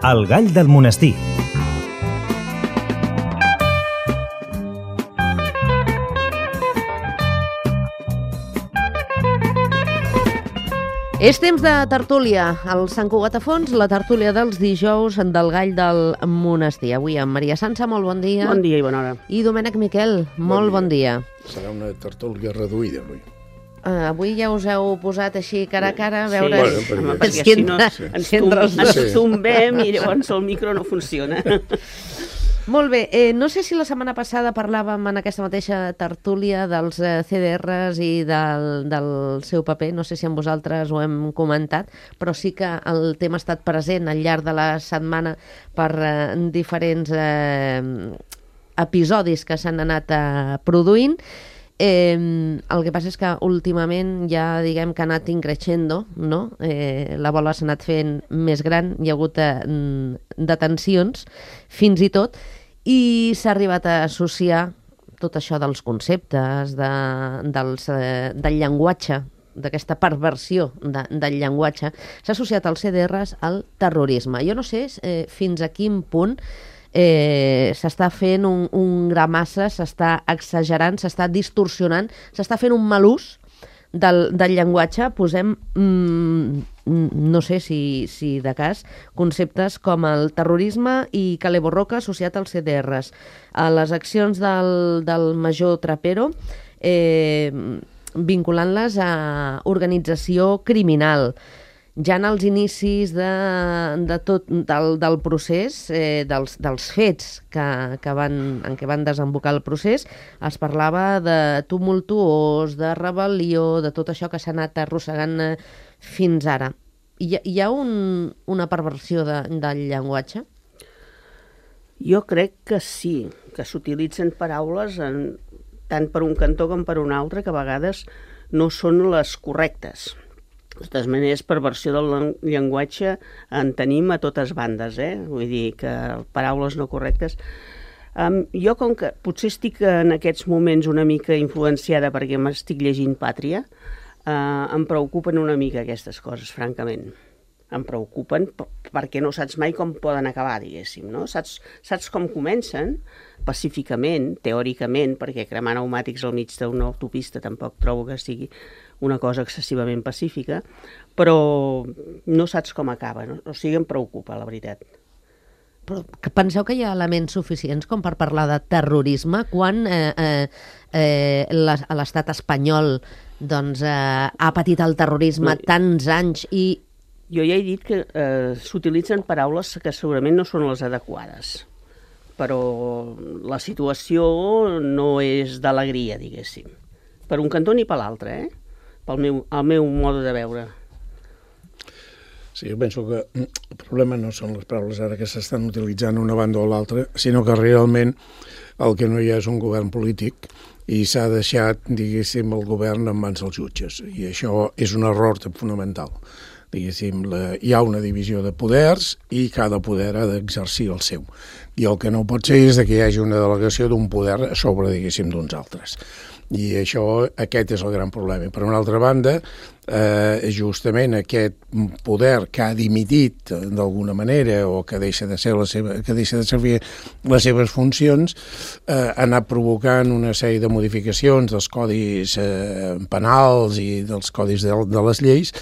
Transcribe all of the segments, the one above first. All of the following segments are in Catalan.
El gall del monestir. És temps de tertúlia. Al Sant Cugat a Fons, la tertúlia dels dijous del gall del monestir. Avui amb Maria Sança, molt bon dia. Bon dia i bona hora. I Domènec Miquel, molt bon dia. Serà una tertúlia reduïda avui. Avui ja us heu posat així cara a cara a veure perquè si no ens tombem i llavors el micro no funciona. Molt bé, no sé si la setmana passada parlàvem en aquesta mateixa tertúlia dels CDRs i del seu paper, no sé si amb vosaltres ho hem comentat, però sí que el tema ha estat present al llarg de la setmana per diferents episodis que s'han anat produint. El que passa és que últimament ja diguem que ha anat increixendo, no? La bola s'ha anat fent més gran, hi ha hagut detencions fins i tot, i s'ha arribat a associar tot això dels conceptes, del llenguatge, d'aquesta perversió del llenguatge, s'ha associat als CDRs al terrorisme. Jo no sé fins a quin punt s'està fent un gramassa, s'està exagerant, s'està distorsionant, s'està fent un mal ús del llenguatge. Posem, no sé si de cas, conceptes com el terrorisme i Kale Borroka associat als CDRs. A les accions del major Trapero, vinculant-les a organització criminal. Ja en els inicis del procés, dels fets en què van desembocar el procés, es parlava de tumultuós, de rebel·lió, de tot això que s'ha anat arrossegant fins ara. Hi ha una perversió del llenguatge? Jo crec que sí, que s'utilitzen paraules tant per un cantó com per un altre, que a vegades no són les correctes. De totes maneres, perversió del llenguatge en tenim a totes bandes, Vull dir que paraules no correctes. Jo, com que potser estic en aquests moments una mica influenciada perquè m'estic llegint Pàtria, em preocupen una mica aquestes coses, francament. Em preocupen perquè no saps mai com poden acabar, diguéssim, no? Saps com comencen, pacíficament, teòricament, perquè cremar pneumàtics al mig d'una autopista tampoc trobo que sigui una cosa excessivament pacífica, però no saps com acaba, no? O sigui, em preocupa, la veritat. Però penseu que hi ha elements suficients com per parlar de terrorisme quan l'estat espanyol ha patit el terrorisme tants anys i... Jo ja he dit que s'utilitzen paraules que segurament no són les adequades, però la situació no és d'alegria, diguéssim. Per un cantó ni per l'altre, al meu mode de veure. Sí, jo penso que el problema no són les paraules ara que s'estan utilitzant una banda o l'altra, sinó que realment el que no hi ha és un govern polític i s'ha deixat, diguéssim, el govern en mans dels jutges. I això és un error fonamental. Diguéssim, hi ha una divisió de poders i cada poder ha d'exercir el seu. I el que no pot ser és que hi hagi una delegació d'un poder sobre, diguéssim, d'uns altres. I aquest és el gran problema. Per una altra banda, justament aquest poder que ha dimitit d'alguna manera o que deixa de servir les seves funcions ha anat provocant una sèrie de modificacions dels codis penals i dels codis de les lleis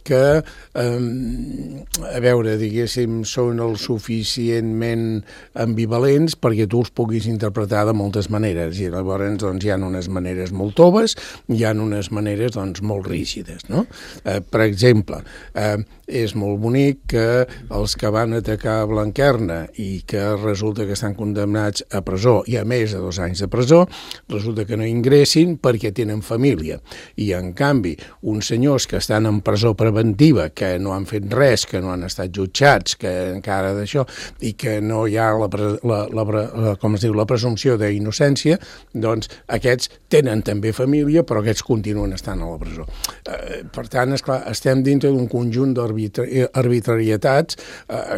que, a veure, diguéssim, són el suficientment ambivalents perquè tu els puguis interpretar de moltes maneres. I llavors doncs, hi ha unes maneres molt toves, hi ha unes maneres doncs, molt rígides, no? Per exemple, és molt bonic que els que van atacar Blanquerna i que resulta que estan condemnats a presó i a més de 2 anys de presó, resulta que no ingressin perquè tenen família. I, en canvi, uns senyors que estan en presó preventiva, que no han fet res, que no han estat jutjats, que encara d'això, i que no hi ha la presumpció d'innocència, doncs aquests tenen també família, però aquests continuen estant a la presó. Per tant, esclar, estem dintre d'un conjunt d'arbitrarietats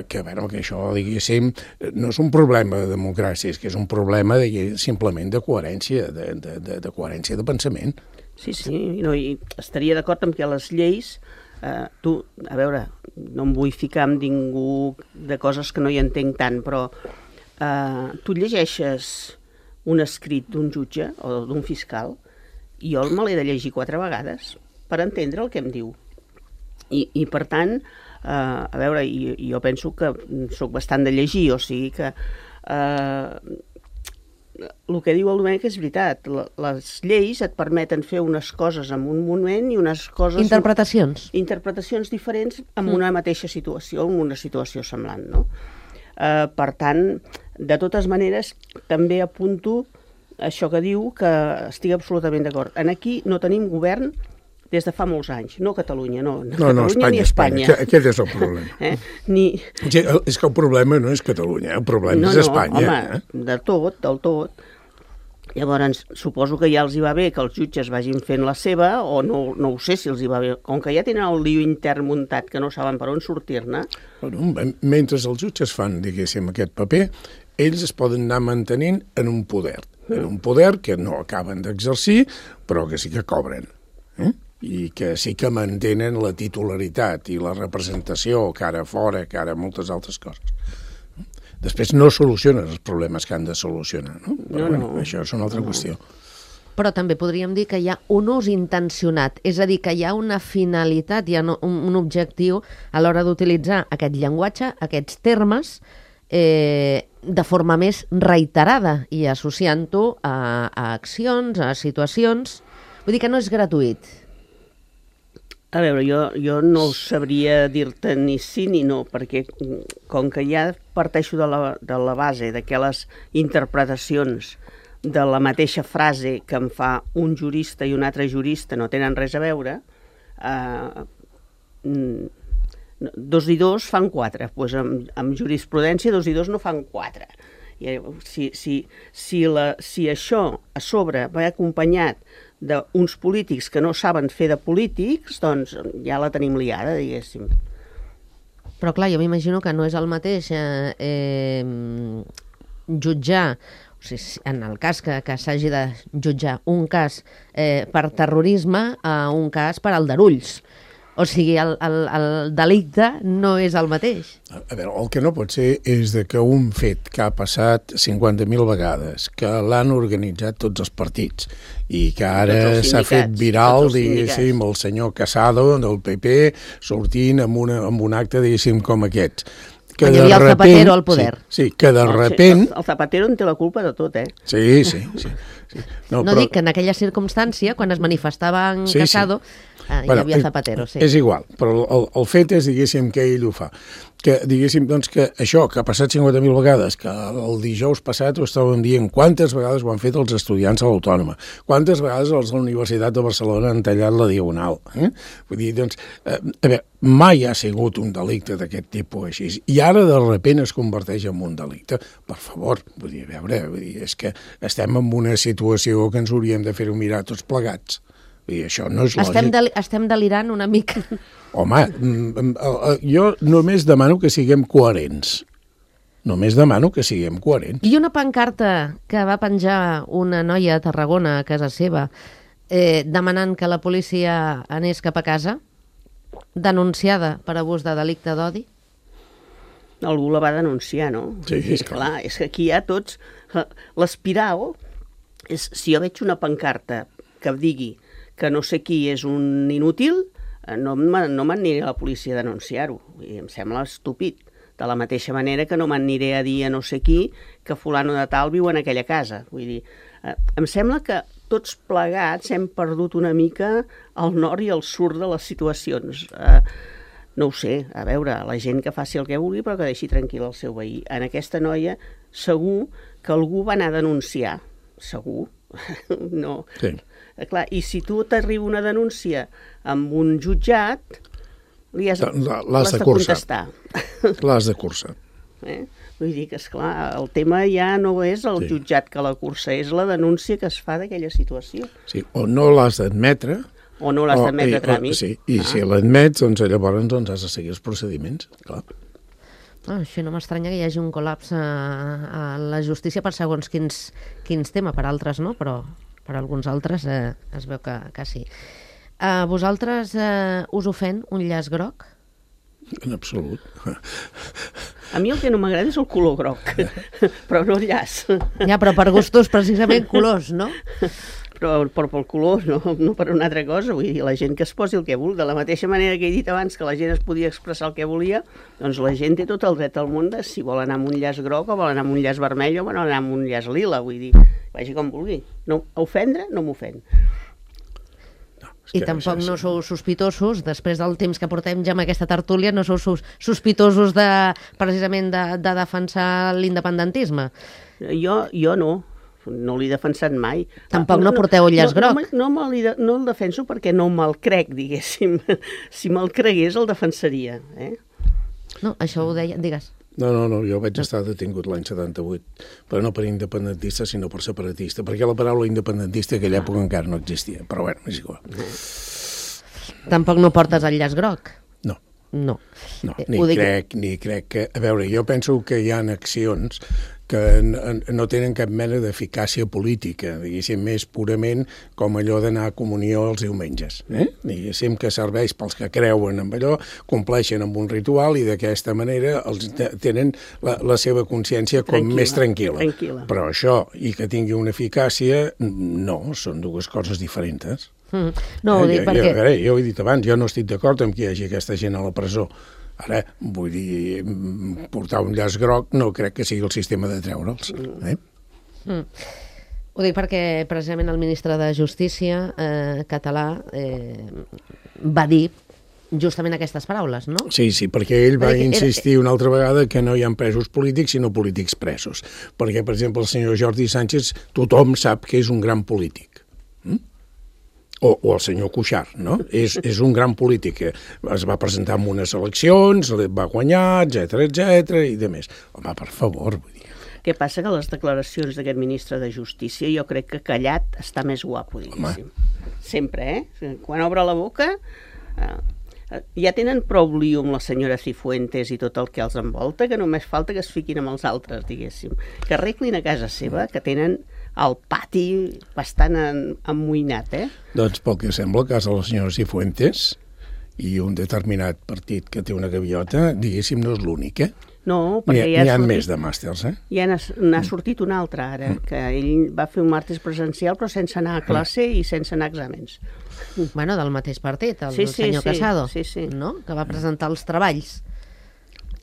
que, bueno, que això, diguéssim, no és un problema de democràcia, és que és un problema simplement de coherència, de coherència de pensament. Sí, no, i estaria d'acord amb que les lleis Tu, a veure, no em vull ficar amb ningú de coses que no hi entenc tant, però tu llegeixes un escrit d'un jutge o d'un fiscal i jo me l'he de llegir 4 vegades per entendre el que em diu. I per tant, a veure, jo penso que sóc bastant de llegir, o sigui que el que diu el Domènec és veritat. Les lleis et permeten fer unes coses en un moment i unes coses... Interpretacions diferents en una mateixa situació, en una situació semblant, no? Per tant, de totes maneres, també apunto això que diu, que estic absolutament d'acord. Aquí no tenim govern des de fa molts anys, no Catalunya, no Catalunya ni Espanya. Aquest és el problema. És que el problema no és Catalunya, el problema és Espanya. Home, del tot. Llavors, suposo que ja els hi va bé que els jutges vagin fent la seva, o no ho sé si els hi va bé, com que ja tenen el lío intern muntat que no saben per on sortir-ne. Mentre els jutges fan, diguéssim, aquest paper, ells es poden anar mantenint en un poder que no acaben d'exercir, però que sí que cobren. I que sí que mantenen la titularitat i la representació cara fora, cara moltes altres coses. Després no solucionen els problemes que han de solucionar, no? Però això és una altra qüestió. Però també podríem dir que hi ha un ús intencionat, és a dir, que hi ha una finalitat, hi ha un objectiu a l'hora d'utilitzar aquest llenguatge, aquests termes, de forma més reiterada i associant-ho a accions, a situacions. Vull dir que no és gratuït. A veure, jo no sabria dir-te ni sí ni no, perquè com que ja parteixo de la base de que les interpretacions de la mateixa frase que em fa un jurista i un altre jurista no tenen res a veure, 2 i 2 fan 4, doncs amb jurisprudència 2 i 2 no fan 4. Si això a sobre va acompanyat d'uns polítics que no saben fer de polítics, doncs ja la tenim liada, diguéssim. Però clar, jo m'imagino que no és el mateix jutjar, o sigui, en el cas que s'hagi de jutjar un cas per terrorisme a un cas per aldarulls. O sigui, el delicte no és el mateix. A veure, el que no pot ser és que un fet que ha passat 50.000 vegades, que l'han organitzat tots els partits i que ara s'ha fet viral, diguéssim, el senyor Casado del PP sortint amb un acte, diguéssim, com aquests. Quan hi havia el Zapatero al poder. Sí, que de repent... El Zapatero en té la culpa de tot, Sí. No dic que en aquella circumstància, quan es manifestava en Casado, hi havia Zapatero, sí. És igual, però el fet és, diguéssim, que ell ho fa. Que, diguéssim, doncs, que això, que ha passat 50.000 vegades, que el dijous passat ho estàvem dient, quantes vegades ho han fet els estudiants a l'Autònoma, quantes vegades els de la Universitat de Barcelona han tallat la Diagonal. Vull dir, doncs, a veure, mai ha sigut un delicte d'aquest tipus així, i ara de sobte es converteix en un delicte. Per favor, vull dir, a veure, és que estem en una situació que ens hauríem de fer-ho mirar tots plegats. I això no és lògic. Estem delirant una mica. Home, jo només demano que siguem coherents. I una pancarta que va penjar una noia a Tarragona, a casa seva, demanant que la policia anés cap a casa, denunciada per abús de delicte d'odi? Algú la va denunciar, no? Sí, és clar. És que aquí hi ha tots... L'espiral és, si jo veig una pancarta que digui que no sé qui és un inútil, no m'aniré a la policia a denunciar-ho. Em sembla estúpid. De la mateixa manera que no m'aniré a dir a no sé qui que fulano de tal viu en aquella casa. Vull dir, em sembla que tots plegats hem perdut una mica el nord i el sud de les situacions. No ho sé, a veure, la gent que faci el que vulgui però que deixi tranquil el seu veí. En aquesta noia segur que algú va anar a denunciar. Segur. No. Sí. Clar, i si tu t'arriba una denúncia amb un jutjat, li has de contestar. L'has de cursar. Vull dir que, esclar, el tema ja no és el jutjat que la cursa, és la denúncia que es fa d'aquella situació. Sí, o no l'has d'admetre... O no l'has d'admetre a tràmit. Sí, i si l'admets, doncs llavors has de seguir els procediments, clar. Això no m'estranya que hi hagi un col·lapse a la justícia per segons quins temes, per altres no, però per alguns altres es veu que sí. A vosaltres us ofèn un llaç groc? En absolut. A mi el que no m'agrada és el color groc, però no el llaç. Ja, però per gustos precisament colors, no? Però pel color, no per una altra cosa. Vull dir, la gent que es posi el que vulgui. De la mateixa manera que he dit abans que la gent es podia expressar el que volia, doncs la gent té tot el dret al món de si vol anar amb un llaç groc o vol anar amb un llaç vermell o vol anar amb un llaç lila. Vull dir, vagi com vulgui. No, ofendre no m'ofèn. I tampoc no sou sospitosos, després del temps que portem ja amb aquesta tertúlia, no sou sospitosos precisament de defensar l'independentisme? Jo no l'he defensat mai. Tampoc no porteu el llaç groc? No el defenso perquè no me'l crec, diguéssim. Si me'l cregués el defensaria. No, això ho deia, digues. No, jo vaig estar detingut l'any 78, però no per independentista, sinó per separatista, perquè la paraula independentista en aquella època encara no existia, però bueno, és igual. Tampoc no portes el llaç groc? No. No. No, ni crec que... A veure, jo penso que hi ha accions que no tenen cap mena d'eficàcia política, diguéssim, més purament com allò d'anar a comunió els diumenges. Diguéssim que serveix pels que creuen en allò, compleixen amb un ritual i d'aquesta manera tenen la seva consciència com més tranquil·la. Però això, i que tingui una eficàcia, no, són dues coses diferents. No, ho dic perquè... Jo ho he dit abans, jo no estic d'acord amb que hi hagi aquesta gent a la presó. Ara, vull dir, portar un llaç groc no crec que sigui el sistema de treure'ls. Ho dic perquè precisament el ministre de Justícia català va dir justament aquestes paraules, no? Sí, perquè ell va insistir una altra vegada que no hi ha presos polítics, sinó polítics presos. Perquè, per exemple, el senyor Jordi Sánchez, tothom sap que és un gran polític. O el senyor Cuixart, no? És un gran polític que es va presentar en unes eleccions, va guanyar, etc i de més. Home, per favor, vull dir. Què passa? Que les declaracions d'aquest ministre de Justícia jo crec que callat està més guapo, diguéssim. Sempre, Quan obre la boca... Ja tenen prou lío amb la senyora Cifuentes i tot el que els envolta, que només falta que es fiquin amb els altres, diguéssim. Que arreglin a casa seva, que tenen el pati bastant emmoïnat, Doncs pel que sembla, el cas de la senyora Cifuentes i un determinat partit que té una gaviota, diguéssim, no és l'únic, No, perquè n'hi ha més de màsters, Ja n'ha sortit un altre, ara, que ell va fer un màster presencial però sense anar a classe i sense anar a exàmens. Bueno, del mateix partit, el senyor Casado, no? Que va presentar els treballs.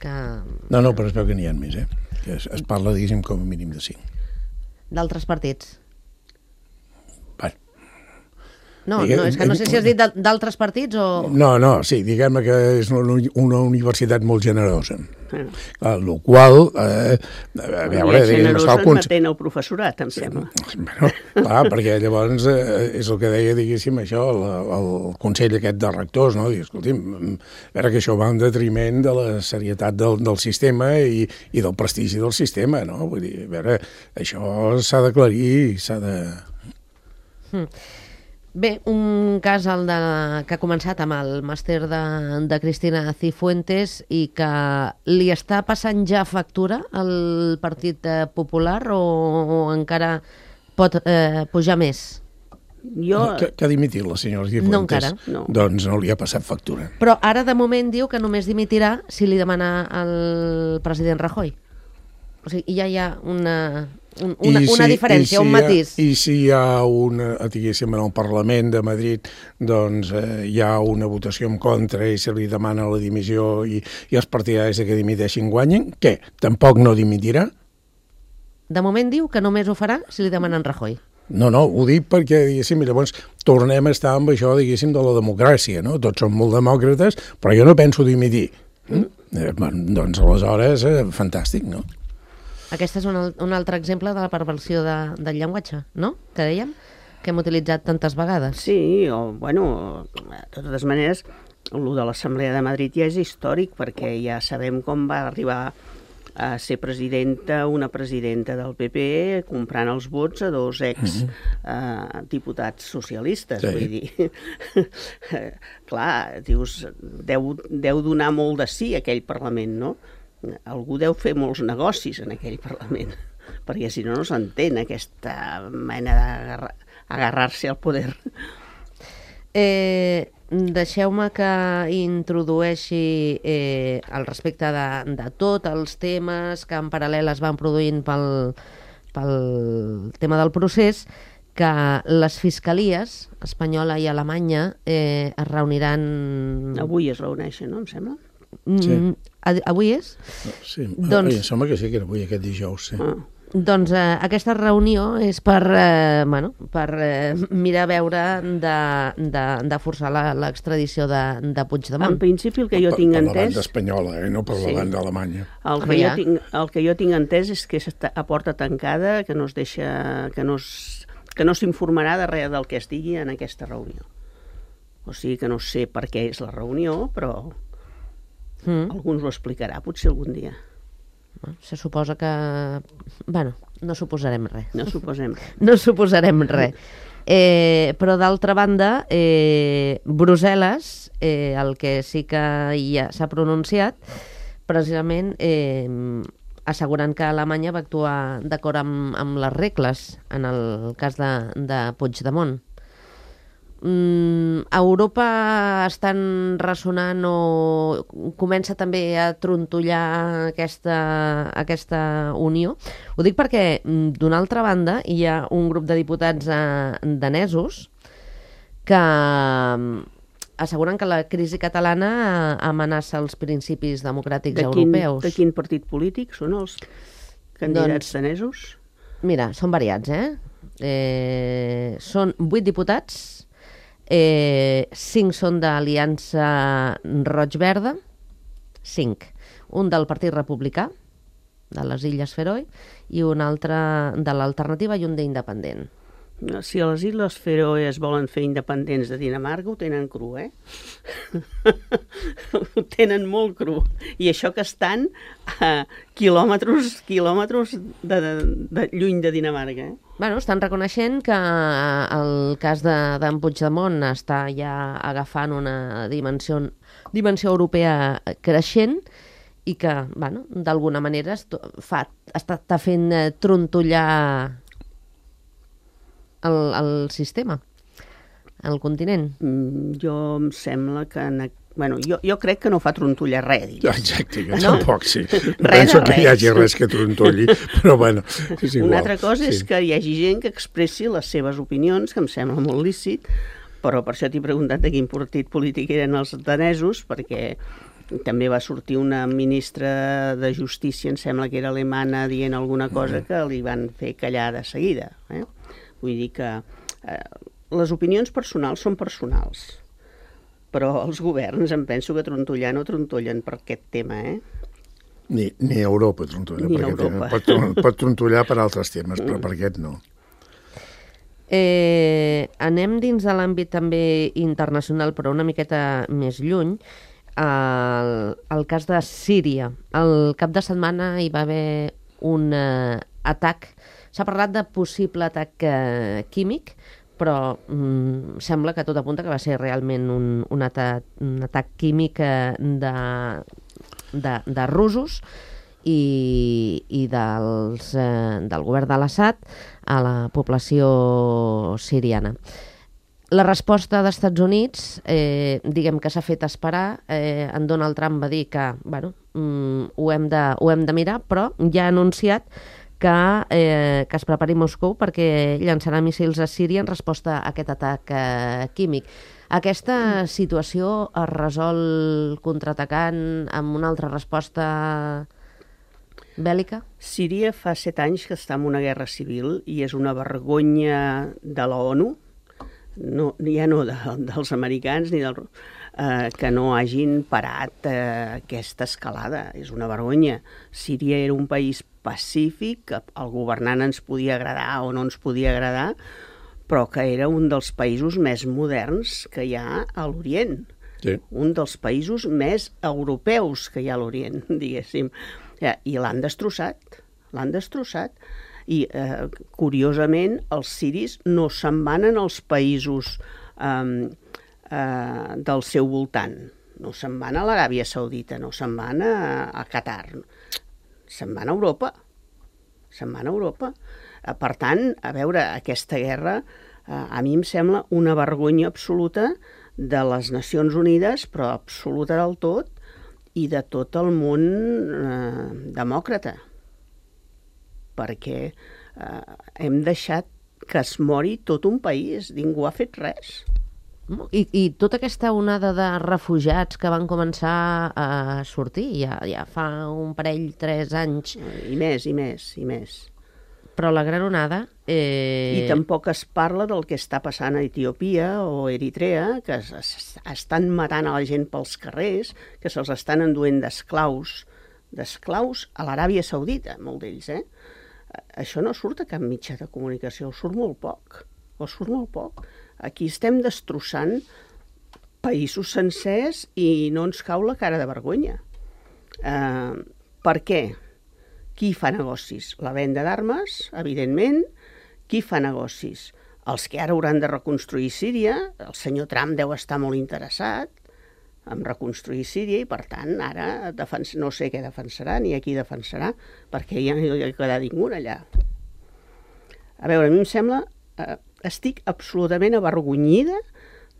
No, però es veu que n'hi ha més, que es parla, diguéssim, com a mínim de 5. D'altres partits? Bueno. No, és que no sé si has dit d'altres partits o... No, sí, diguem que és una universitat molt generosa. El qual, a veure... Generosa matent el professorat, em sembla. Bueno, clar, perquè llavors és el que deia, diguéssim, això, el Consell aquest de Rectors, no? Diu, escolti'm, a veure que això va en detriment de la serietat del sistema i del prestigi del sistema, no? Vull dir, a veure, això s'ha d'aclarir, s'ha de... Bé, un cas que ha començat amb el màster de Cristina Cifuentes i que li està passant ja factura al Partit Popular o encara pot pujar més? Que ha dimitit la senyora Cifuentes? No, encara. Doncs no li ha passat factura. Però ara de moment diu que només dimitirà si li demana el president Rajoy. O sigui, ja hi ha una diferència, un matís. I si hi ha diguéssim, en el Parlament de Madrid, doncs hi ha una votació en contra i se li demana la dimissió i els partidaris que dimiteixin guanyen, què? Tampoc no dimitirà? De moment diu que només ho farà si li demanen Rajoy. No, ho dic perquè, diguéssim, llavors tornem a estar amb això, diguéssim, de la democràcia, no? Tots som molt demòcrates, però jo no penso dimitir. Doncs aleshores, fantàstic, no? Aquest és un altre exemple de la perversió del llenguatge, no? Que dèiem, que hem utilitzat tantes vegades. Sí, de totes maneres, el de l'Assemblea de Madrid ja és històric, perquè ja sabem com va arribar a ser una presidenta del PP comprant els vots a dos diputats socialistes. Sí. Vull dir, clar, dius, deu donar molt de sí aquell Parlament, no? Algú deu fer molts negocis en aquell Parlament, perquè si no s'entén aquesta mena d'agarrar-se al poder. Deixeu-me que introdueixi al respecte de tots els temes que en paral·lel es van produint pel tema del procés, que les fiscalies espanyola i alemanya es reuniran... Avui es reuneixen, no, em sembla? Sí. Avui és? Sí, Doncs... em sembla que sí, que era avui, aquest dijous, sí. Doncs aquesta reunió és per mirar a veure de forçar l'extradició de Puigdemont. En principi el que jo tinc Per la entès... banda espanyola, no per la banda alemanya. El que jo tinc entès és que és a porta tancada, que no es deixa... que no s'informarà de res del que es digui en aquesta reunió. O sigui que no sé per què és la reunió, però algú ens ho explicarà, potser algun dia. Se suposa que... Bueno, no suposarem res. No suposem res. No suposarem res. Però d'altra banda, Brussel·les, el que sí que ja s'ha pronunciat, precisament assegurant que Alemanya va actuar d'acord amb les regles en el cas de Puigdemont. A Europa estan ressonant o comença també a trontollar aquesta unió. Ho dic perquè, d'una altra banda, hi ha un grup de diputats danesos que asseguren que la crisi catalana amenaça els principis democràtics europeus. De quin partit polític són els candidats danesos? Mira, són variats, són 8 diputats, 5 són d'Aliança Roig-Verda, 5. Un del Partit Republicà, de les Illes Feroe, i un altre de l'Alternativa i un d'Independent. Si a les Illes Feroe es volen fer independents de Dinamarca, ho tenen cru, Ho tenen molt cru. I això que estan a quilòmetres de lluny de Dinamarca, Bueno, estan reconeixent que el cas d'en Puigdemont està ja agafant una dimensió europea creixent i que, bueno, d'alguna manera està fent trontollar el sistema, el continent. Jo em sembla que... jo crec que no fa trontollar res. Exacte, jo tampoc, sí. No penso que hi hagi res que trontolli, però bueno, és igual. Una altra cosa és que hi hagi gent que expressi les seves opinions, que em sembla molt lícit, però per això t'he preguntat de quin partit polític eren els danesos, perquè també va sortir una ministra de Justícia, em sembla que era alemana, dient alguna cosa que li van fer callar de seguida. Vull dir que les opinions personals són personals, però els governs em penso que trontollar no trontollen per aquest tema, Ni Europa trontolla per aquest tema. Pot trontollar per altres temes, però per aquest no. Anem dins de l'àmbit també internacional, però una miqueta més lluny, el cas de Síria. El cap de setmana hi va haver un atac. S'ha parlat de possible atac químic, però sembla que tot apunta que va ser realment un atac químic de russos i del govern de l'Assad a la població siriana. La resposta dels Estats Units, diguem que s'ha fet esperar. En Donald Trump va dir que ho hem de mirar, però ja ha anunciat que es prepari Moscou perquè llançarà míssils a Síria en resposta a aquest atac químic. Aquesta situació es resol contraatacant amb una altra resposta bèl·lica? Síria fa 7 anys que està en una guerra civil i és una vergonya de la ONU, ja no dels americans ni que no hagin parat aquesta escalada. És una vergonya. Síria era un país pacífic, el governant ens podia agradar o no ens podia agradar, però que era un dels països més moderns que hi ha a l'Orient. Sí. Un dels països més europeus que hi ha a l'Orient, diguéssim. I l'han destrossat. I, curiosament, els siris no se'n van als països del seu voltant. No se'n van a l'Aràbia Saudita, no se'n van a Qatar. Se'n van a Europa. Per tant, a veure, aquesta guerra a mi em sembla una vergonya absoluta de les Nacions Unides, però absoluta del tot, i de tot el món demòcrata. Perquè hem deixat que es mori tot un país, ningú ha fet res. I tota aquesta onada de refugiats que van començar a sortir ja fa un parell, 3 anys. I més. Però la gran onada... I tampoc es parla del que està passant a Etiòpia o Eritrea, que estan matant a la gent pels carrers, que se'ls estan enduent d'esclaus a l'Aràbia Saudita, molts d'ells, Això no surt a cap mitjà de comunicació, surt molt poc. Aquí estem destrossant països sencers i no ens cau la cara de vergonya. Per què? Qui fa negocis? La venda d'armes, evidentment. Qui fa negocis? Els que ara hauran de reconstruir Síria. El senyor Trump deu estar molt interessat en reconstruir Síria i, per tant, ara no sé què defensarà ni a qui defensarà, perquè ja no hi ha quedat ningú allà. A veure, a mi em sembla... Estic absolutament avergonyida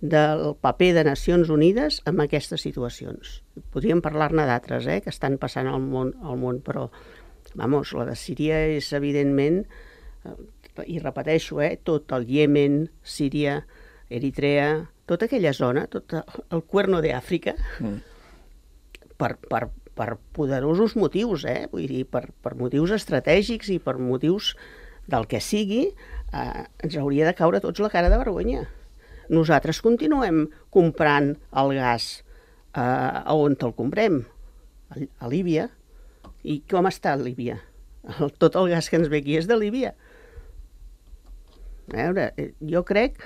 del paper de Nacions Unides en aquestes situacions. Podríem parlar-ne d'altres, que estan passant al món, però, vamos, la de Síria és, evidentment, i repeteixo, tot el Iemen, Síria, Eritrea, tota aquella zona, tot el Cuerno de Àfrica, per poderosos motius, vull dir, per motius estratègics i per motius del que sigui, ens hauria de caure tots la cara de vergonya. Nosaltres continuem comprant el gas on el comprem? A Líbia. I com està a Líbia? Tot el gas que ens ve aquí és de Líbia. A veure, jo crec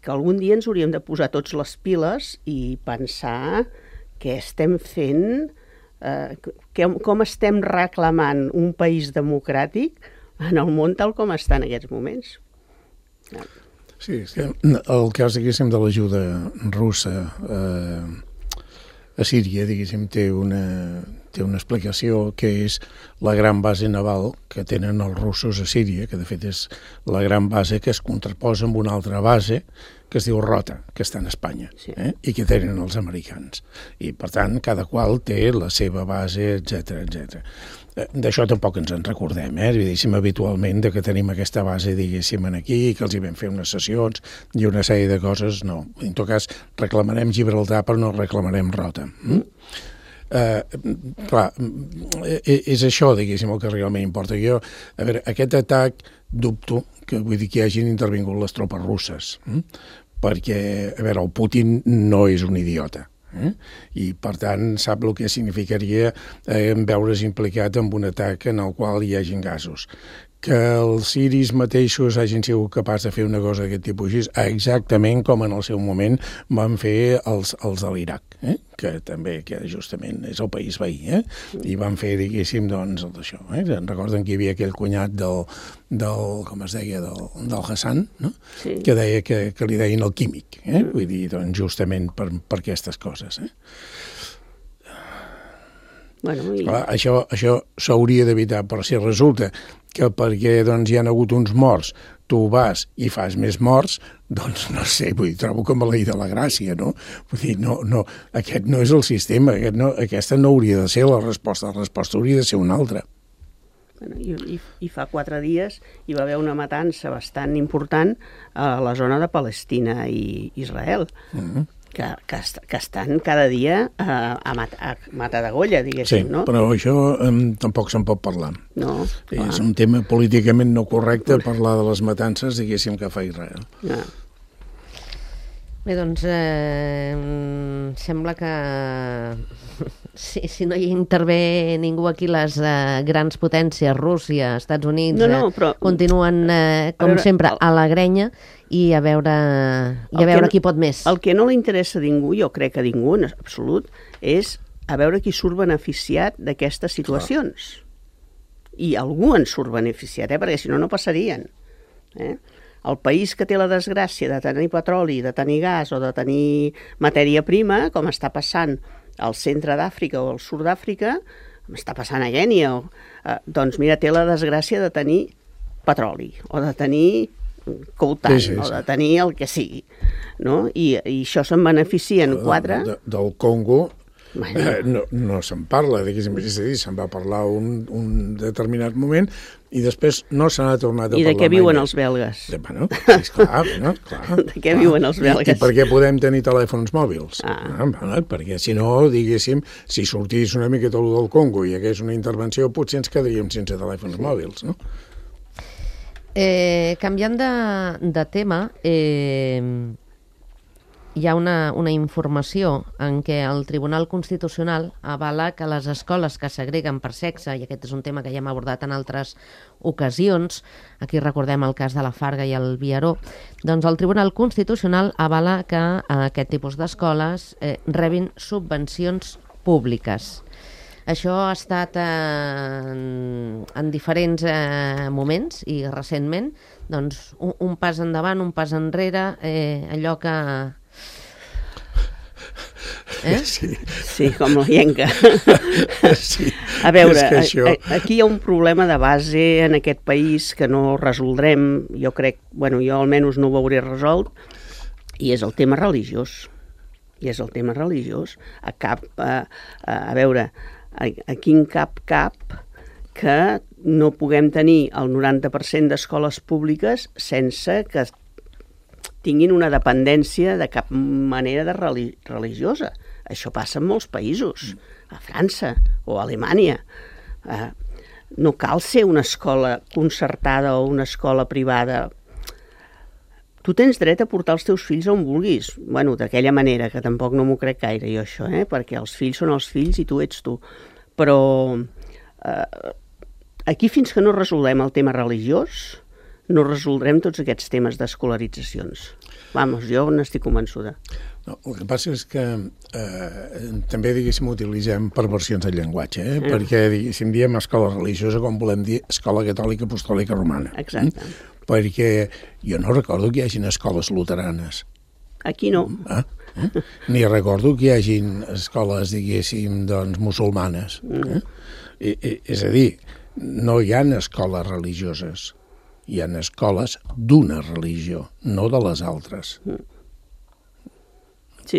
que algun dia ens hauríem de posar tots les piles i pensar què estem fent, com estem reclamant un país democràtic en el món tal com està en aquests moments. Sí, és que el cas, diguéssim, de l'ajuda russa a Síria, diguéssim, té una explicació que és la gran base naval que tenen els russos a Síria, que de fet és la gran base que es contraposa amb una altra base que es diu Rota, que està en Espanya, i que tenen els americans. I, per tant, cada qual té la seva base, etc. D'això tampoc ens en recordem, diguéssim, habitualment, que tenim aquesta base, diguéssim, aquí, que els hi vam fer unes sessions i una sèrie de coses, no. En tot cas, reclamarem Gibraltar, però no reclamarem Rota. Clar, és això, diguéssim, el que realment importa. Jo, a veure, aquest atac dubto que vull dir que hi hagin intervingut les tropes russes, perquè, a veure, el Putin no és un idiota, i per tant sap el que significaria veure's implicat en un atac en el qual hi hagin gasos. Que els siris mateixos hagin sigut capaços de fer una cosa d'aquest tipus, exactament com en el seu moment van fer els de l'Iraq, que també, que justament és el país veí, i van fer, diguéssim, doncs, d'això. Recorden que hi havia aquell cunyat del com es deia, del Hassan, no? Sí. Que deia que li deien el químic, vull dir, doncs, justament per aquestes coses, Bueno, clar, això s'hauria d'evitar, però si resulta que perquè doncs, hi ha hagut uns morts, tu vas i fas més morts, doncs no sé, vull dir, trobo com a la de la gràcia, no? Vull dir, no, aquest no és el sistema, aquesta no hauria de ser la resposta hauria de ser una altra. Bueno, i fa 4 dies hi va haver una matança bastant important a la zona de Palestina i Israel, que estan cada dia a matar d'agolla, diguéssim, no? Sí, però això tampoc se'n pot parlar. No, és un tema políticament no correcte parlar de les matances, diguéssim, que fa Israel. Bé, doncs, sembla que si no hi intervé ningú aquí, les grans potències, Rússia, Estats Units, però, continuen, com sempre, a la grenya i a veure qui pot més. El que no li interessa a ningú, jo crec que a ningú en absolut, és a veure qui surt beneficiat d'aquestes situacions. I algú en surt beneficiat, perquè si no, no passarien. El país que té la desgràcia de tenir petroli, de tenir gas o de tenir matèria prima, com està passant al centre d'Àfrica o al sud d'Àfrica, com està passant a Kènia, doncs mira, té la desgràcia de tenir petroli o de tenir coutant, Sí, o sí. de tenir el que sigui, no? I això se'n beneficien 4... Del Congo Bueno. no se'n parla, diguéssim, és a dir, se'n va parlar un determinat moment i després no se n'ha tornat a I parlar de què viuen mai els belgues? Bueno, esclar, De què viuen els belgues? I per què podem tenir telèfons mòbils? Ah. Perquè si no, diguéssim, si sortís una miqueta allò del Congo i hi hagués una intervenció, potser ens quedaríem sense telèfons mòbils, no? Canviant de tema, hi ha una informació en què el Tribunal Constitucional avala que les escoles que segreguen per sexe, i aquest és un tema que ja hem abordat en altres ocasions, aquí recordem el cas de la Farga i el Viaró, doncs el Tribunal Constitucional avala que aquest tipus d'escoles rebin subvencions públiques. Això ha estat en diferents moments i recentment, doncs un pas endavant, un pas enrere, allò que... Sí, com la llenca. Sí, A veure, és que això... aquí hi ha un problema de base en aquest país que no resoldrem, jo crec, bueno, jo almenys no ho veuré resolt, i és el tema religiós. A veure, aquí en cap que no puguem tenir el 90% d'escoles públiques sense que tinguin una dependència de cap manera de religiosa. Això passa en molts països, a França o a Alemanya. No cal ser una escola concertada o una escola privada. Tu tens dret a portar els teus fills on vulguis. Bueno, d'aquella manera, que tampoc no m'ho crec gaire jo això, perquè els fills són els fills i tu ets tu. Però aquí fins que no resolem el tema religiós, no resoldrem tots aquests temes d'escolaritzacions. Vamos, jo n'estic convençuda. No, el que passa és que també, diguéssim, utilitzem perversions del llenguatge, perquè, diguéssim, diem escola religiosa com volem dir escola catòlica apostòlica romana. Exacte. Perquè jo no recordo que hi hagin escoles luteranes. Aquí no. Ni recordo que hi hagin escoles, diguéssim, doncs, musulmanes. És a dir, no hi ha escoles religioses. Hi ha escoles d'una religió, no de les altres. Sí,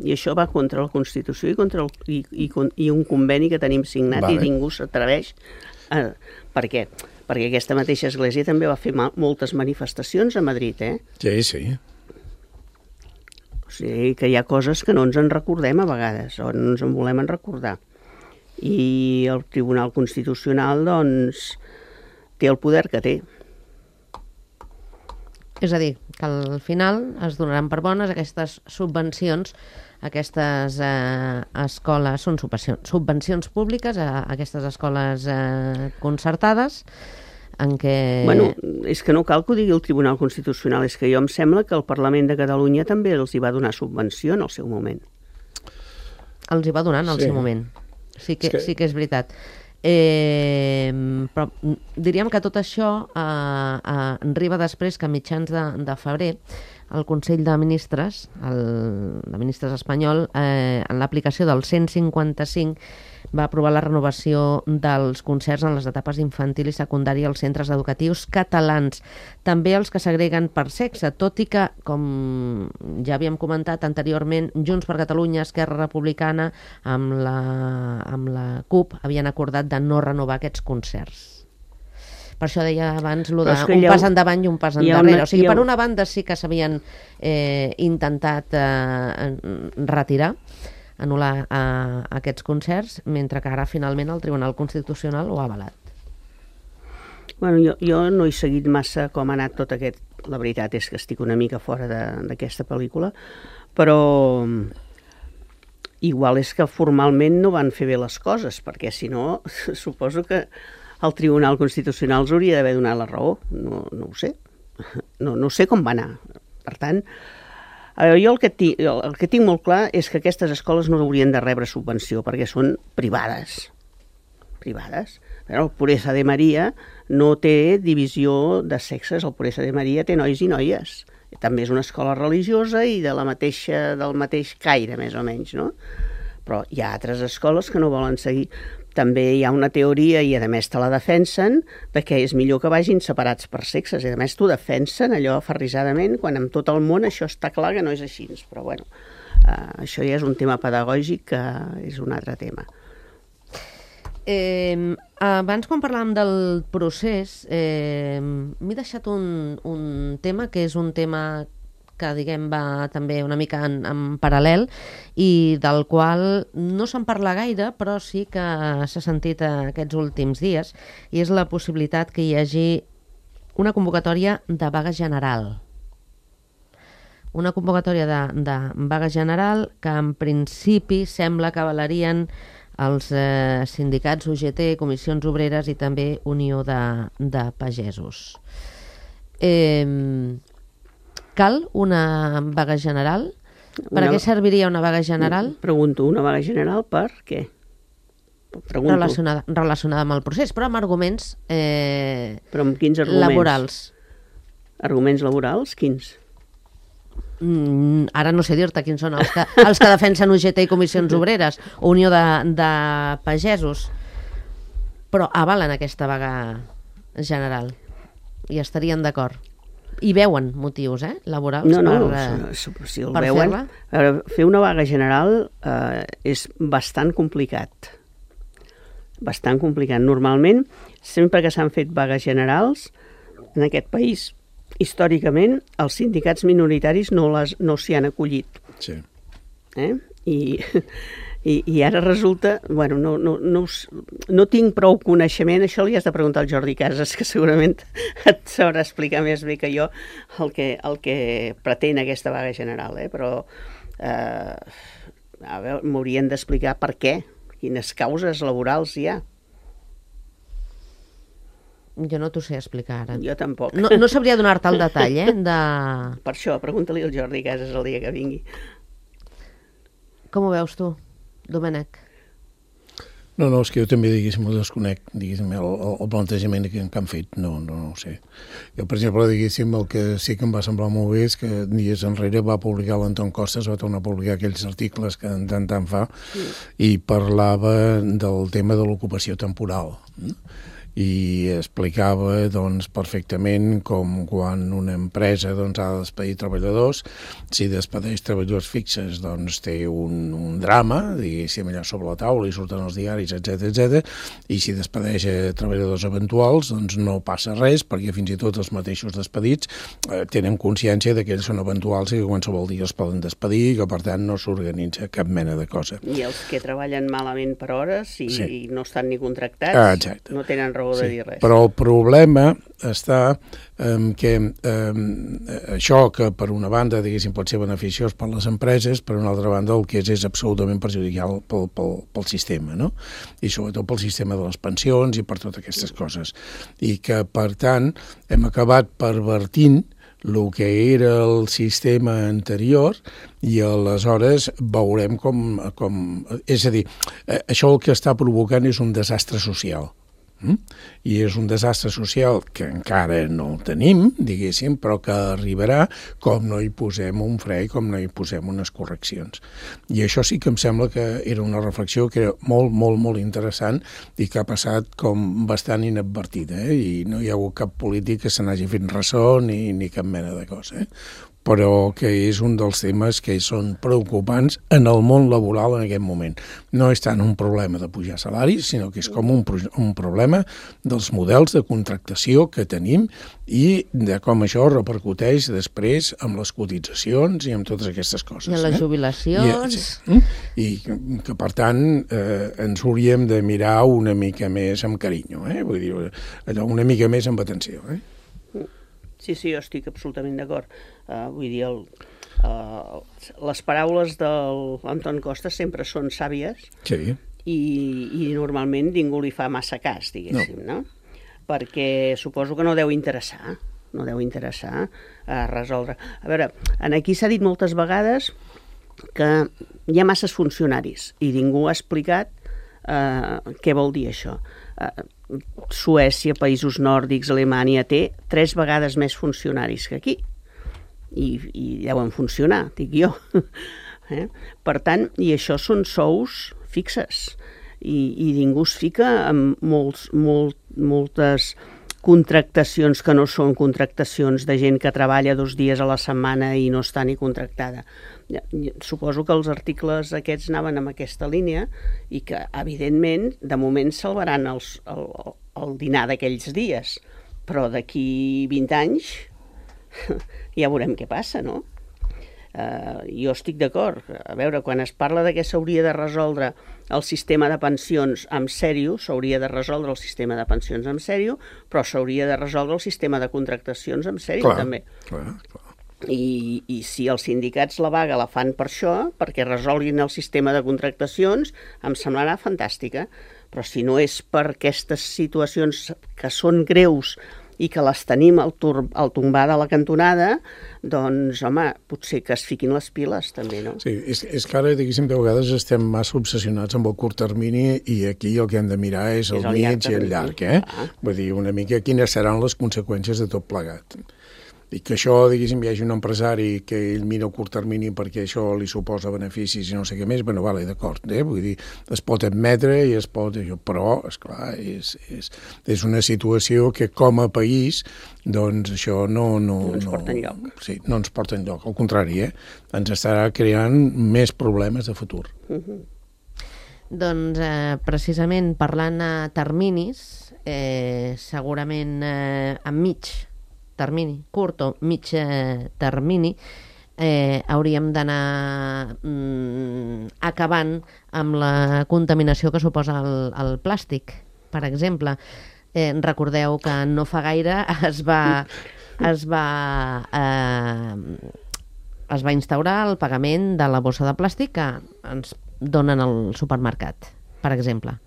i això va contra la Constitució i un conveni que tenim signat i ningú s'atreveix. Per què? Perquè aquesta mateixa església també va fer moltes manifestacions a Madrid, Sí. O sigui que hi ha coses que no ens en recordem a vegades, o no ens en volem recordar. I el Tribunal Constitucional, doncs, té el poder que té. És a dir, que al final es donaran per bones aquestes subvencions, aquestes escoles, són subvencions públiques a aquestes escoles concertades, en què... Bueno, és que no cal que ho digui el Tribunal Constitucional, és que jo em sembla que el Parlament de Catalunya també els hi va donar subvenció en el seu moment. Els hi va donar en el seu moment. Sí que és veritat. Però diríem que tot això arriba després que a mitjans de febrer el Consell de Ministres, de Ministres espanyol, en l'aplicació del 155 va aprovar la renovació dels concerts en les etapes infantil i secundària als centres educatius catalans, també els que segreguen per sexe, tot i que, com ja havíem comentat anteriorment, Junts per Catalunya, Esquerra Republicana, amb la CUP havien acordat de no renovar aquests concerts. Per això deia abans un pas endavant i un pas endarrere. O sigui, per una banda sí que s'havien intentat retirar, anul·lar aquests concerts, mentre que ara finalment el Tribunal Constitucional ho ha avalat. Bueno, jo no he seguit massa com ha anat tot aquest... La veritat és que estic una mica fora d'aquesta pel·lícula, però igual és que formalment no van fer bé les coses, perquè si no, suposo que el Tribunal Constitucional els hauria d'haver donat la raó. No ho sé. No sé com va anar. Per tant, jo el que tinc molt clar és que aquestes escoles no haurien de rebre subvenció perquè són privades. Privades. Però el Pureza de Maria no té divisió de sexes. El Pureza de Maria té nois i noies. També és una escola religiosa i del mateix caire, més o menys, no? Però hi ha altres escoles que no volen seguir. també hi ha una teoria, i a més te la defensen, de que és millor que vagin separats per sexes, i a més t'ho defensen allò aferrissadament, quan en tot el món això està clar que no és així, però bueno, això ja és un tema pedagògic que és un altre tema. Abans, quan parlàvem del procés, m'he deixat un tema que és un tema que, diguem, va també una mica en paral·lel i del qual no se'n parla gaire, però sí que s'ha sentit aquests últims dies, i és la possibilitat que hi hagi una convocatòria de vaga general. Una convocatòria de vaga general que en principi sembla que avalarien els sindicats UGT, Comissions Obreres i també Unió de Pagesos. Cal una vaga general? Per a què serviria una vaga general? Pregunto, una vaga general per què? Relacionada amb el procés, però amb arguments, però amb quins arguments? Laborals. Arguments laborals? Quins? Ara no sé dir-te quins són els que defensen UGT i Comissions Obreres, Unió de Pagesos, però avalen aquesta vaga general i estarien d'acord. I veuen motius laborals si el veuen, fer una vaga general és bastant complicat. Bastant complicat. Normalment, sempre que s'han fet vagues generals en aquest país, històricament, els sindicats minoritaris no s'hi han acollit. Sí. I ara resulta... Bueno, no tinc prou coneixement, això li has de preguntar al Jordi Casas, que segurament et sabrà explicar més bé que jo el que pretén aquesta vaga general, però m'haurien d'explicar per què, quines causes laborals hi ha. Jo no t'ho sé explicar ara. Jo tampoc. No sabria donar-te el detall, Per això, pregunta-li al Jordi Casas el dia que vingui. Com ho veus tu, Domènec? No, és que jo també, diguéssim, ho desconec, diguéssim, el plantejament que han fet, no ho sé. Jo, per exemple, diguéssim, el que sí que em va semblar molt bé és que dies enrere va publicar l'Anton Costas, va tornar a publicar aquells articles que tant fa, i parlava del tema de l'ocupació temporal, i explicava perfectament com quan una empresa ha de despedir treballadors, si despedeix treballadors fixes té un drama, diguéssim, allà sobre la taula i surten els diaris, etc. I si despedeix treballadors eventuals, no passa res, perquè fins i tot els mateixos despedits tenen consciència que ells són eventuals i que qualsevol dia els poden despedir i que per tant no s'organitza cap mena de cosa. I els que treballen malament per hores i no estan ni contractats, no tenen raó de dir res. Però el problema està en que això que per una banda diguéssim pot ser beneficiós per les empreses, per una altra banda el que és absolutament perjudicial pel sistema, no? I sobretot pel sistema de les pensions i per totes aquestes coses. I que per tant hem acabat pervertint el que era el sistema anterior i aleshores veurem com... És a dir, això el que està provocant és un desastre social. I és un desastre social que encara no el tenim, diguéssim, però que arribarà com no hi posem un fre i com no hi posem unes correccions. I això sí que em sembla que era una reflexió que era molt, molt, molt interessant i que ha passat com bastant inadvertida, i no hi ha hagut cap polític que se n'hagi fet ressò ni cap mena de cosa, però que és un dels temes que són preocupants en el món laboral en aquest moment. No és tant un problema de pujar salaris, sinó que és com un problema dels models de contractació que tenim i de com això repercuteix després amb les cotitzacions i amb totes aquestes coses. I en les jubilacions. I que, per tant, ens hauríem de mirar una mica més amb carinyo, vull dir, una mica més amb atenció, Sí, jo estic absolutament d'acord. Vull dir, les paraules de l'Anton Costas sempre són sàvies i normalment ningú li fa massa cas, diguéssim, no? Perquè suposo que no deu interessar resoldre. A veure, aquí s'ha dit moltes vegades que hi ha masses funcionaris i ningú ha explicat què vol dir això. Suècia, països nòrdics, Alemanya té 3 vegades més funcionaris que aquí i deuen funcionar, dic jo. Per tant, i això són sous fixes i ningú es fica en moltes contractacions que no són contractacions de gent que treballa 2 dies a la setmana i no està ni contractada. Suposo que els articles aquests anaven en aquesta línia i que, evidentment, de moment salvaran el dinar d'aquells dies, però d'aquí 20 anys ja veurem què passa, no? Jo estic d'acord. A veure, quan es parla de que s'hauria de resoldre el sistema de pensions en sèrio, s'hauria de resoldre el sistema de pensions en sèrio, però s'hauria de resoldre el sistema de contractacions en sèrio, també. Clar. I si els sindicats la vaga la fan per això, perquè resolguin el sistema de contractacions, em semblarà fantàstica. Però si no és per aquestes situacions que són greus i que les tenim al tombar de la cantonada, doncs, home, potser que es fiquin les piles, també, no? Sí, és que ara, diguéssim, de vegades estem massa obsessionats amb el curt termini i aquí el que hem de mirar és el mig i el llarg, Vull dir, una mica quines seran les conseqüències de tot plegat. I que això, diguéssim, hi hagi un empresari que ell mira el curt termini perquè això li suposa beneficis i no sé què més, bueno, vale, d'acord, Vull dir, es pot admetre i es pot... Però, esclar, és una situació que com a país, doncs això no ens porta enlloc. Sí, no ens porta enlloc, al contrari, ens estarà creant més problemes de futur. Doncs, precisament, parlant a terminis, segurament enmig termini, curt o mig termini, hauríem d'anar acabant amb la contaminació que suposa el plàstic, per exemple. Recordeu que no fa gaire es va instaurar el pagament de la bossa de plàstic que ens donen al supermercat, per exemple.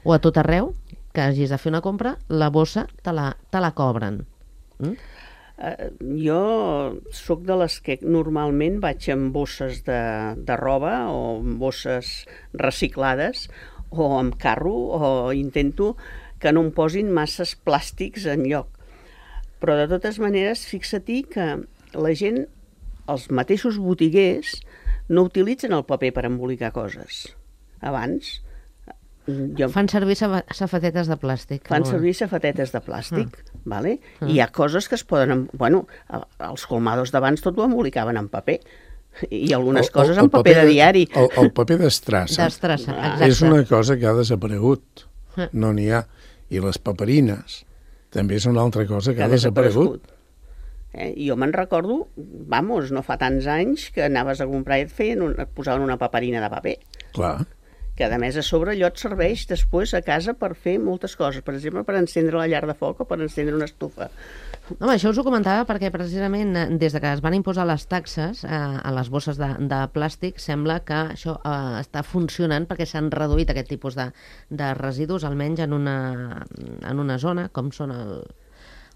O a tot arreu, que hagis de fer una compra, la bossa te la cobren. Jo sóc de les que normalment vaig amb bosses de roba o amb bosses reciclades o amb carro, o intento que no em posin masses plàstics enlloc. Però de totes maneres, fixa-t'hi que la gent, els mateixos botiguers, no utilitzen el paper per embolicar coses. Abans... Fan servir safatetes de plàstic. Fan servir safatetes de plàstic, vale? I hi ha coses que es poden... Bueno, els colmados d'abans tot ho embolicaven en paper. I algunes coses en paper de diari. El paper d'estrassa és una cosa que ha desaparegut. No n'hi ha. I les paperines també és una altra cosa que ha desaparegut. Jo me'n recordo, no fa tants anys, que anaves a comprar i et posaven una paperina de paper. Clar. Que a més a sobre allò et serveix després a casa per fer moltes coses, per exemple per encendre la llar de foc o per encendre una estufa. Home, això us ho comentava perquè precisament des de que es van imposar les taxes a les bosses de plàstic sembla que això està funcionant perquè s'han reduït aquest tipus de residus, almenys en una zona com són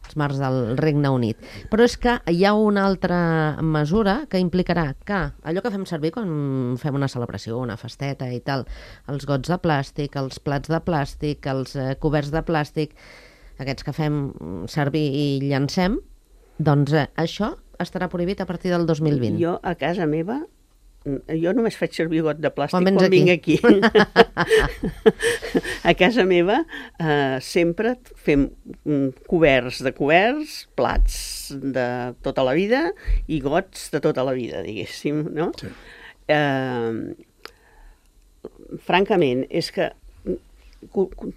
els mars del Regne Unit. Però és que hi ha una altra mesura que implicarà que allò que fem servir quan fem una celebració, una festeta i tal, els gots de plàstic, els plats de plàstic, els coberts de plàstic, aquests que fem servir i llancem, doncs això estarà prohibit a partir del 2020. Jo a casa meva jo només faig servir got de plàstic quan vinc aquí. A casa meva sempre fem coberts, plats de tota la vida i gots de tota la vida, diguéssim, no? Sí. Francament, és que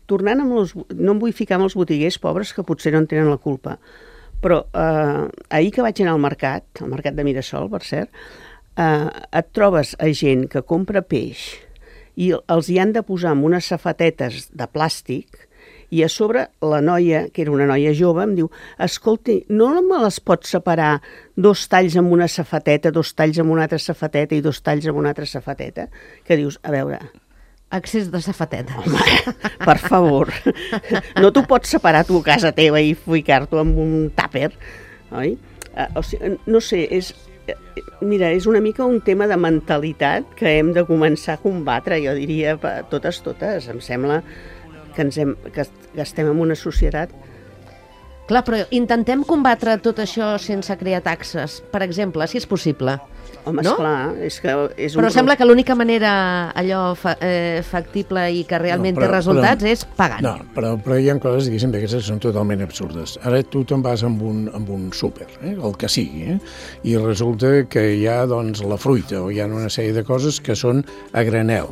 tornant amb no em vull ficar amb els botiguers pobres que potser no en tenen la culpa, però ahir que vaig anar al mercat de Mirasol, per cert, et trobes a gent que compra peix i els hi han de posar amb unes safatetes de plàstic i a sobre la noia, que era una noia jove, em diu, escolti, no me les pots separar 2 talls amb una safateta, 2 talls amb una altra safateta i 2 talls amb una altra safateta? Que dius, a veure... Accés de safatetes. Home, per favor. No t'ho pots separar tu a casa teva i ficar-t'ho amb un tàper, oi? O sigui, no sé, mira, és una mica un tema de mentalitat que hem de començar a combatre, jo diria, totes. Em sembla que estem en una societat... Clar, però intentem combatre tot això sense crear taxes, per exemple, si és possible. Home, no? esclar, és que és Però sembla que l'única manera allò factible i que realment té resultats és pagant. No, però hi ha coses, diguéssim, d'aquestes que són totalment absurdes. Ara tu te'n vas amb un súper, el que sigui, i resulta que hi ha doncs, la fruita o hi ha una sèrie de coses que són a granel.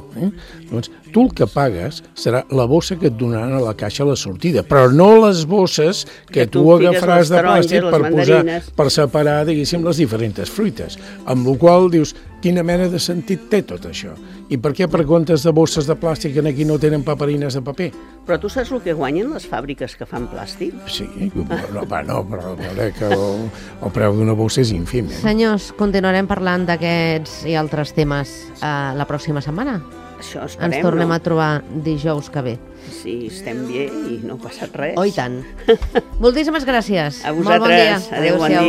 Doncs tu el que pagues serà la bossa que et donaran a la caixa a la sortida, però no les bosses que tu agafaràs de plàstic per separar, diguéssim, les diferents fruites. Amb la qual dius, quina mena de sentit té tot això? I per què per comptes de bosses de plàstic en aquí no tenen paperines de paper? Però tu saps el que guanyen les fàbriques que fan plàstic? Sí, però que el preu d'una bossa és ínfim. Senyors, continuarem parlant d'aquests i altres temes la pròxima setmana. Això esperem, ens tornem a trobar dijous que ve. Sí, estem bé i no ha passat res. Oh, i tant. Moltíssimes gràcies. A vosaltres. Molt bon dia. Adéu, bon dia.